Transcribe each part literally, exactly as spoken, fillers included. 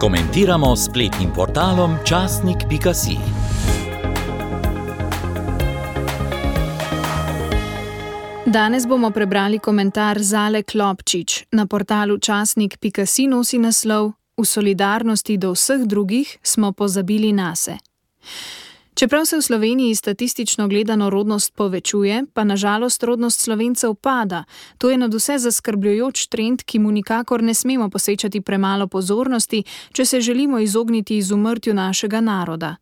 Komentiramo s spletnim portalom časnik pika si. Danes bomo prebrali komentar Zale Klopčič. Na portalu časnik pika si nosi naslov V solidarnosti do vseh drugih smo pozabili nase. Čeprav se v Sloveniji statistično gledano rodnost povečuje, pa na žalost rodnost Slovencev pada. To je nadvse zaskrbljujoč trend, ki mu nikakor ne smemo posvečati premalo pozornosti, če se želimo izogniti izumrtju našega naroda.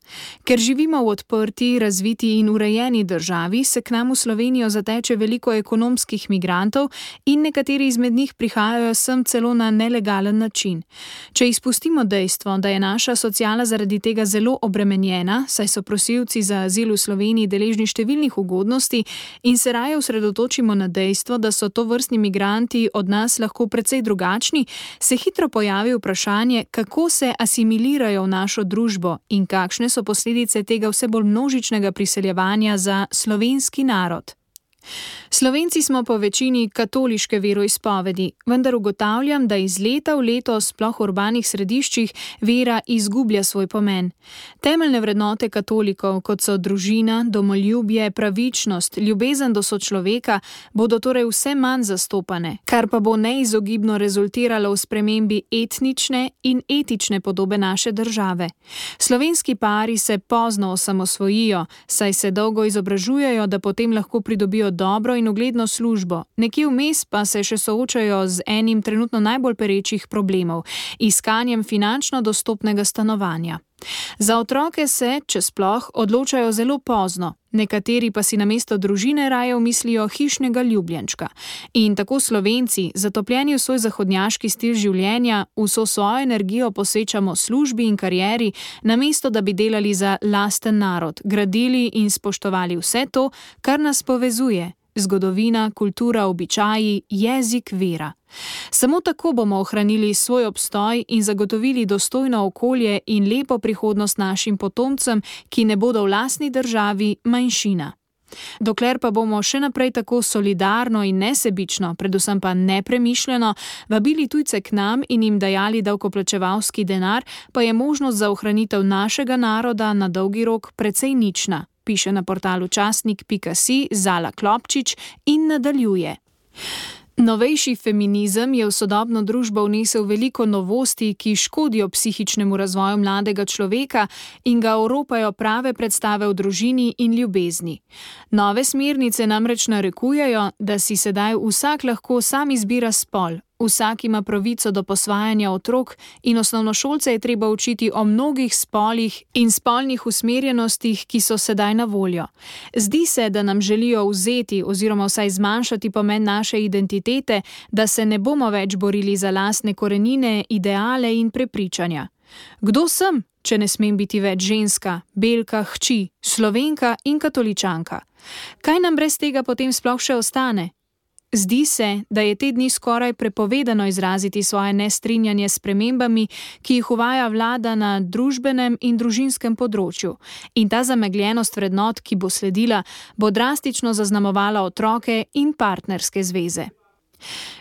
Ker živimo v odprti, razviti in urejeni državi, se k nam v Slovenijo zateče veliko ekonomskih migrantov in nekateri izmed njih prihajajo sem celo na nelegalen način. Če izpustimo dejstvo, da je naša sociala zaradi tega zelo obremenjena, saj so prosilci za azil v Sloveniji deležni številnih ugodnosti in se raje osredotočimo na dejstvo, da so tovrstni migranti od nas lahko precej drugačni, se hitro pojavi vprašanje, kako se asimilirajo v našo družbo in kakšne so posledice tega vse bolj množičnega priseljevanja za slovenski narod. Slovenci smo po večini katoliške veroizpovedi, vendar ugotavljam, da iz leta v leto, sploh v urbanih središčih, vera izgublja svoj pomen. Temeljne vrednote katolikov, kot so družina, domoljubje, pravičnost, ljubezen do sočloveka, bodo torej vse manj zastopane, kar pa bo neizogibno rezultiralo v spremembi etnične in etične podobe naše države. Slovenski pari se pozno osamosvojijo, saj se dolgo izobražujejo, da potem lahko pridobijo dobro in ugledno službo, nekje vmes pa se še soočajo z enim trenutno najbolj perečih problemov, iskanjem finančno dostopnega stanovanja. Za otroke se, če sploh, odločajo zelo pozno, nekateri pa si namesto družine raje umislijo hišnega ljubljenčka. In tako Slovenci, zatopljeni v svoj zahodnjaški stil življenja, vso svojo energijo posvečamo službi in karieri, namesto da bi delali za lasten narod, gradili in spoštovali vse to, kar nas povezuje: zgodovina, kultura, običaji, jezik, vera. Samo tako bomo ohranili svoj obstoj in zagotovili dostojno okolje in lepo prihodnost našim potomcem, ki ne bodo v lastni državi manjšina. Dokler pa bomo še naprej tako solidarno in nesebično, predvsem pa nepremišljeno, vabili tujce k nam in jim dajali davkoplačevalski denar, pa je možnost za ohranitev našega naroda na dolgi rok precej nična, piše na portalu časnik pika si Zala Klopčič in nadaljuje. Novejši feminizem je v sodobno družbo vnesel veliko novosti, ki škodijo psihičnemu razvoju mladega človeka in ga oropajo prave predstave o družini in ljubezni. Nove smernice namreč narekujejo, da si sedaj vsak lahko sam izbira spol, vsak ima pravico do posvajanja otrok in osnovnošolce je treba učiti o mnogih spolih in spolnih usmerjenostih, ki so sedaj na voljo. Zdi se, da nam želijo vzeti oziroma vsaj zmanjšati pomen naše identitete, da se ne bomo več borili za lastne korenine, ideale in prepričanja. Kdo sem, če ne smem biti več ženska, belka, hči, Slovenka in katoličanka? Kaj nam brez tega potem sploh še ostane? Zdi se, da je te dni skoraj prepovedano izraziti svoje nestrinjanje s spremembami, ki jih uvaja vlada na družbenem in družinskem področju. In ta zamegljenost vrednot, ki bo sledila, bo drastično zaznamovala otroke in partnerske zveze.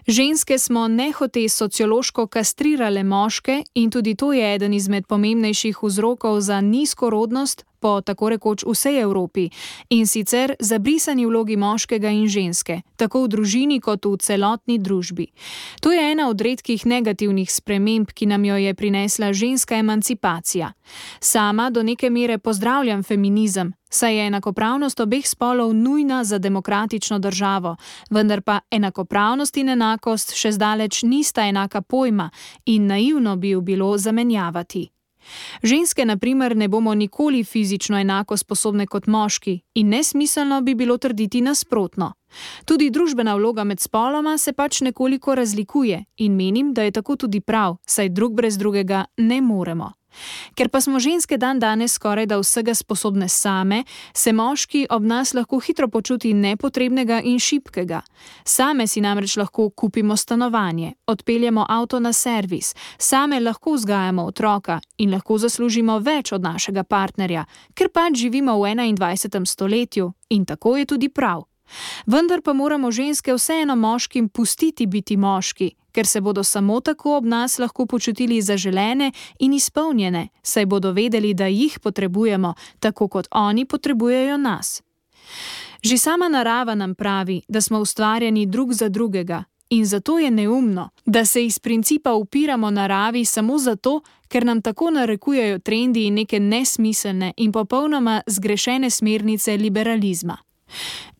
Ženske smo nehote sociološko kastrirale moške in tudi to je eden izmed pomembnejših vzrokov za nizko rodnost po tako rekoč vsej Evropi, in sicer zabrisani vlogi moškega in ženske, tako v družini kot v celotni družbi. To je ena od redkih negativnih sprememb, ki nam jo je prinesla ženska emancipacija. Sama do neke mere pozdravljam feminizem, saj je enakopravnost obeh spolov nujna za demokratično državo, vendar pa enakopravnost in enakost še zdaleč nista enaka pojma in naivno bi jo bilo zamenjavati. Ženske, na primer, ne bomo nikoli fizično enako sposobne kot moški in nesmiselno bi bilo trditi nasprotno. Tudi družbena vloga med spoloma se pač nekoliko razlikuje in menim, da je tako tudi prav, saj drug brez drugega ne moremo. Ker pa smo ženske dan danes skoraj da vsega sposobne same, se moški ob nas lahko hitro počuti nepotrebnega in šibkega. Same si namreč lahko kupimo stanovanje, odpeljemo avto na servis, same lahko vzgajamo otroka in lahko zaslužimo več od našega partnerja, ker pač živimo v enaindvajsetem stoletju in tako je tudi prav. Vendar pa moramo ženske vseeno moškim pustiti biti moški, ker se bodo samo tako ob nas lahko počutili zaželene in izpolnjene, saj bodo vedeli, da jih potrebujemo, tako kot oni potrebujejo nas. Že sama narava nam pravi, da smo ustvarjeni drug za drugega, in zato je neumno, da se iz principa upiramo naravi samo zato, ker nam tako narekujejo trendi in neke nesmiselne in popolnoma zgrešene smernice liberalizma.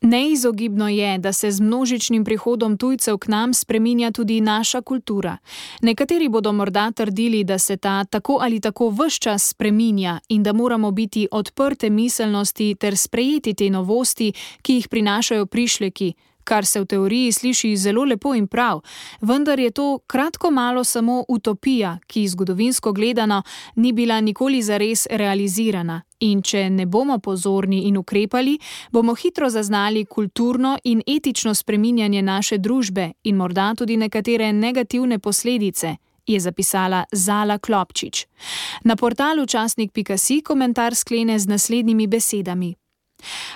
Neizogibno je, da se z množičnim prihodom tujcev k nam spreminja tudi naša kultura. Nekateri bodo morda trdili, da se ta tako ali tako ves čas spreminja in da moramo biti odprte miselnosti ter sprejeti te novosti, ki jih prinašajo prišleki, kar se v teoriji sliši zelo lepo in prav, vendar je to kratko malo samo utopija, ki zgodovinsko gledano ni bila nikoli zares realizirana. In če ne bomo pozorni in ukrepali, bomo hitro zaznali kulturno in etično spreminjanje naše družbe in morda tudi nekatere negativne posledice, je zapisala Zala Klopčič. Na portalu časnik pika si komentar sklene z naslednjimi besedami.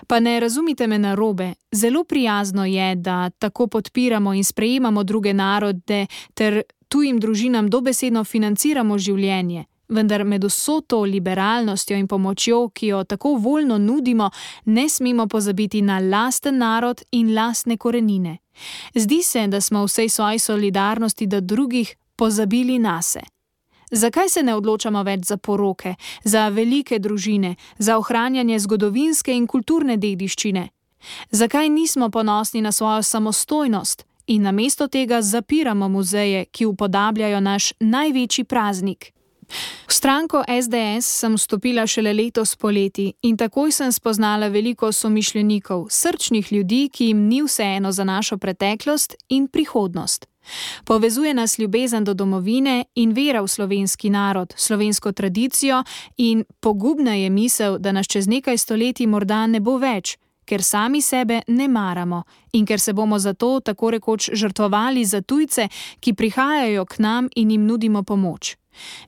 Pa ne razumite me narobe, zelo prijazno je, da tako podpiramo in sprejemamo druge narode ter tujim družinam dobesedno financiramo življenje. Vendar med vso to liberalnostjo in pomočjo, ki jo tako voljno nudimo, ne smemo pozabiti na lasten narod in lastne korenine. Zdi se, da smo v vsej svoji solidarnosti do drugih pozabili nase. Zakaj se ne odločamo več za poroke, za velike družine, za ohranjanje zgodovinske in kulturne dediščine? Zakaj nismo ponosni na svojo samostojnost in namesto tega zapiramo muzeje, ki upodabljajo naš največji praznik? V stranko es de es sem vstopila šele letos poleti in takoj sem spoznala veliko somišljenikov, srčnih ljudi, ki jim ni vseeno za našo preteklost in prihodnost. Povezuje nas ljubezen do domovine in vera v slovenski narod, slovensko tradicijo in pogubna je misel, da nas čez nekaj stoletij morda ne bo več, ker sami sebe ne maramo in ker se bomo zato tako rekoč žrtvovali za tujce, ki prihajajo k nam in jim nudimo pomoč.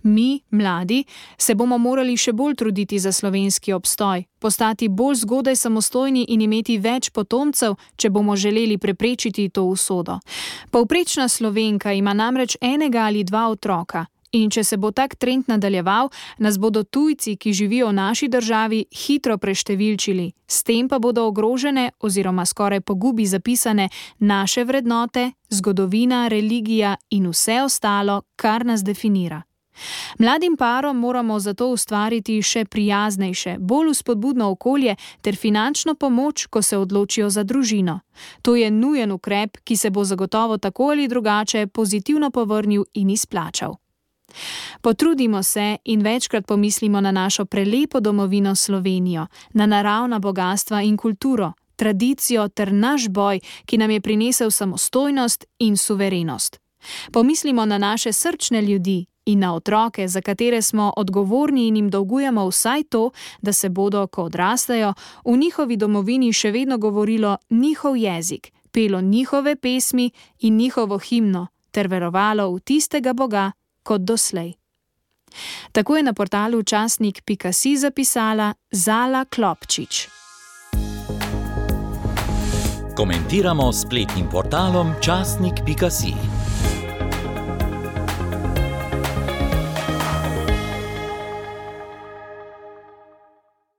Mi, mladi, se bomo morali še bolj truditi za slovenski obstoj, postati bolj zgodaj samostojni in imeti več potomcev, če bomo želeli preprečiti to usodo. Povprečna Slovenka ima namreč enega ali dva otroka in če se bo tak trend nadaljeval, nas bodo tujci, ki živijo v naši državi, hitro preštevilčili, s tem pa bodo ogrožene oziroma skoraj po gubi zapisane naše vrednote, zgodovina, religija in vse ostalo, kar nas definira. Mladim parom moramo zato ustvariti še prijaznejše, bolj vzpodbudno okolje ter finančno pomoč, ko se odločijo za družino. To je nujen ukrep, ki se bo zagotovo tako ali drugače pozitivno povrnil in izplačal. Potrudimo se in večkrat pomislimo na našo prelepo domovino Slovenijo, na naravna bogastva in kulturo, tradicijo ter naš boj, ki nam je prinesel samostojnost in suverenost. Pomislimo na naše srčne ljudi in na otroke, za katere smo odgovorni in jim dolgujemo vsaj to, da se bodo, ko odrastejo, v njihovi domovini še vedno govorilo njihov jezik, pelo njihove pesmi in njihovo himno, ter verovalo v tistega Boga kot doslej. Tako je na portalu časnik pika si zapisala Zala Klopčič. Komentiramo s spletnim portalom časnik pika si.